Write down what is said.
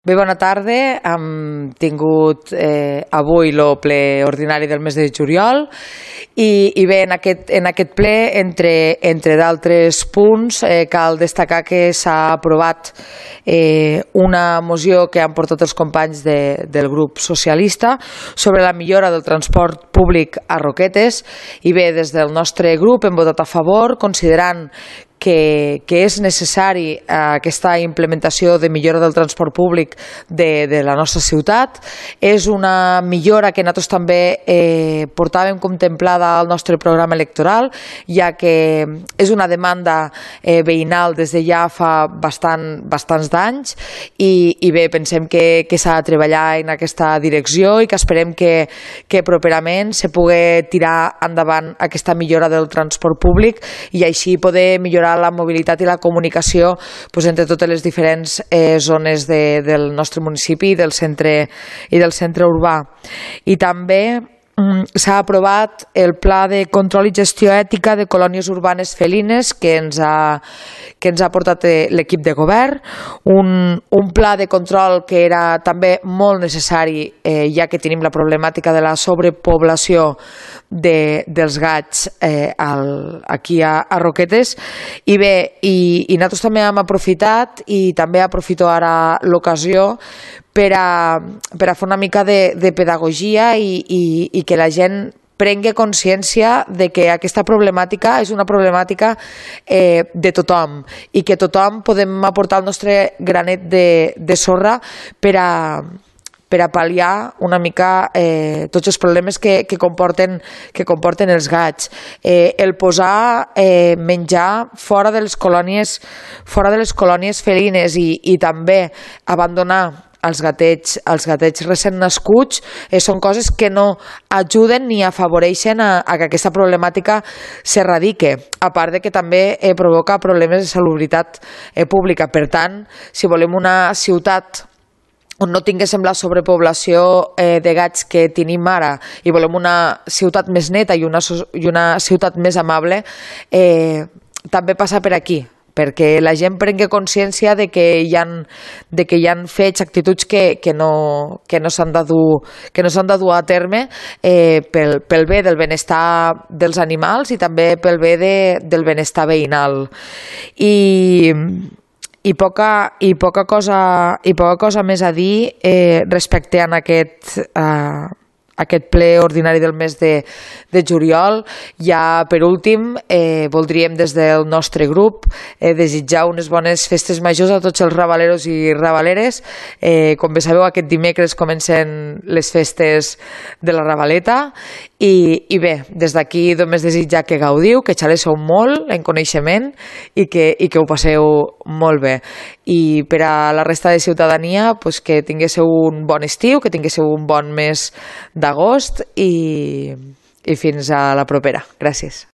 Bé, bona tarda. Hem tingut avui el ple ordinari del mes de juliol i bé, en aquest ple, entre d'altres punts, cal destacar que s'ha aprovat una moció que han portat els companys del grup socialista sobre la millora del transport públic a Roquetes i bé, des del nostre grup hem votat a favor, considerant que és necessari aquesta implementació de millora del transport públic de la nostra ciutat. És una millora que nosaltres també portàvem contemplada al nostre programa electoral, ja que és una demanda veïnal des de ja fa bastants d'anys i bé, pensem que s'ha de treballar en aquesta direcció i que esperem que properament se pugui tirar endavant aquesta millora del transport públic i així poder millorar la mobilitat i la comunicació entre totes les diferents zones del nostre municipi i del centre urbà. I també s'ha aprovat el Pla de Control i Gestió Ètica de Colònies Urbanes Felines que ens ha portat l'equip de govern, un pla de control que era també molt necessari ja que tenim la problemàtica de la sobrepoblació dels gats aquí a Roquetes i bé, i nosaltres també hem aprofitat i també aprofito ara l'ocasió per a fer una mica de pedagogia i que la gent prengui consciència de que aquesta problemàtica és una problemàtica de tothom i que tothom podem aportar el nostre granet de sorra per a pal·liar una mica tots els problemes que comporten els gats. El posar menjar fora de les colònies felines i també abandonar els gatets recent nascuts són coses que no ajuden ni afavoreixen a que aquesta problemàtica s'erradique, a part de que també provoca problemes de salubritat pública. Per tant, si volem una ciutat on no tinguéssim la sobrepoblació de gats que tenim ara i volem una ciutat més neta i una ciutat més amable, també passa per aquí, perquè la gent prengui consciència de que hi ha fets, actituds que no s'han de dur a terme pel bé del benestar dels animals i també pel bé del benestar veïnal. I poca cosa més a dir respecte a aquest ple ordinari del mes de juliol. Ja per últim voldríem des del nostre grup desitjar unes bones festes majors a tots els rabaleros i rabaleres. Com bé sabeu, aquest dimecres comencen les festes de la Rabaleta i bé, des d'aquí només desitjar que gaudiu, que xalesseu molt en coneixement i que ho passeu molt bé. I per a la resta de ciutadania que tinguéssiu un bon estiu, que tinguéssiu un bon mes d'agost i fins a la propera. Gràcies.